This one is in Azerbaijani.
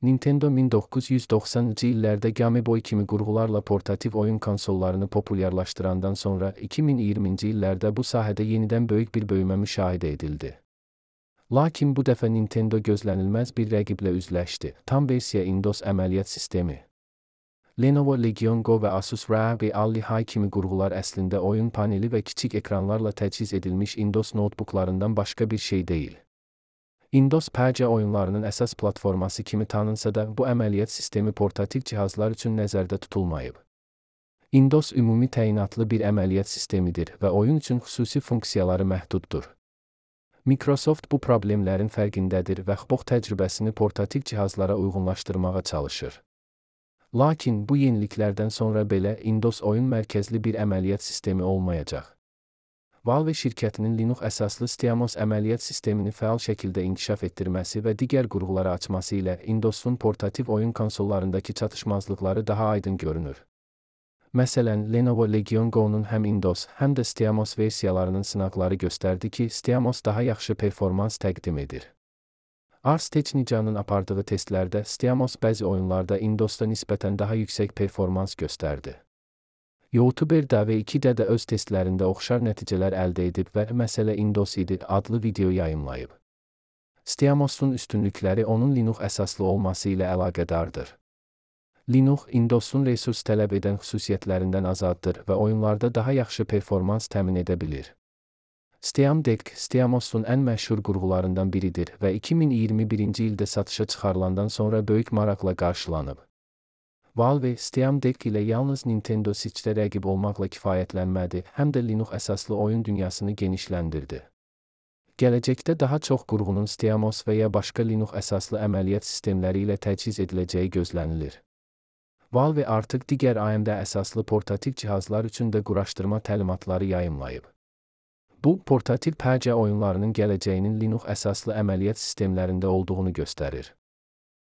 Nintendo 1990-cı illərdə Game Boy kimi qurğularla portativ oyun konsollarını populyarlaşdırandan sonra 2020-ci illərdə bu sahədə yenidən böyük bir böyümə müşahidə edildi. Lakin bu dəfə Nintendo gözlənilməz bir rəqiblə üzləşdi. Tam versiya Windows əməliyyat sistemi. Lenovo Legion Go və Asus ROG Ally High kimi qurğular əslində oyun paneli və kiçik ekranlarla təchiz edilmiş Windows notebooklarından başqa bir şey deyil. Windows PC oyunlarının əsas platforması kimi tanınsa da, bu əməliyyat sistemi portativ cihazlar üçün nəzərdə tutulmayıb. Windows ümumi təyinatlı bir əməliyyat sistemidir və oyun üçün xüsusi funksiyaları məhduddur. Microsoft bu problemlərin fərqindədir və XBOX təcrübəsini portativ cihazlara uyğunlaşdırmağa çalışır. Lakin bu yeniliklərdən sonra belə Windows oyun mərkəzli bir əməliyyat sistemi olmayacaq. Valve şirkətinin Linux əsaslı SteamOS əməliyyat sistemini fəal şəkildə inkişaf etdirməsi və digər qurğuları açması ilə Windows'un portativ oyun konsollarındakı çatışmazlıqları daha aydın görünür. Məsələn, Lenovo Legion Go-nun həm Windows, həm də SteamOS versiyalarının sınaqları göstərdi ki, SteamOS daha yaxşı performans təqdim edir. Ars Technica'nın apardığı testlərdə SteamOS bəzi oyunlarda Windows'da nisbətən daha yüksək performans göstərdi. YouTuber DV2-də də öz testlərində oxşar nəticələr əldə edib və məsələ Windows idi adlı video yayımlayıb. SteamOS'un üstünlükləri onun Linux əsaslı olması ilə əlaqədardır. Linux, Windows'un resurs tələb edən xüsusiyyətlərindən azaddır və oyunlarda daha yaxşı performans təmin edə bilir. Steam Deck, SteamOS'un ən məşhur qurğularından biridir və 2021-ci ildə satışa çıxarılandan sonra böyük maraqla qarşılanıb. Valve, Steam Deck ilə yalnız Nintendo Switch-də rəqib olmaqla kifayətlənmədi, həm də Linux əsaslı oyun dünyasını genişləndirdi. Gələcəkdə daha çox qurğunun SteamOS və ya başqa Linux əsaslı əməliyyat sistemləri ilə təchiz ediləcəyi gözlənilir. Valve artıq digər AMD əsaslı portativ cihazlar üçün də quraşdırma təlimatları yayımlayıb. Bu, portativ PC oyunlarının gələcəyinin Linux əsaslı əməliyyat sistemlərində olduğunu göstərir.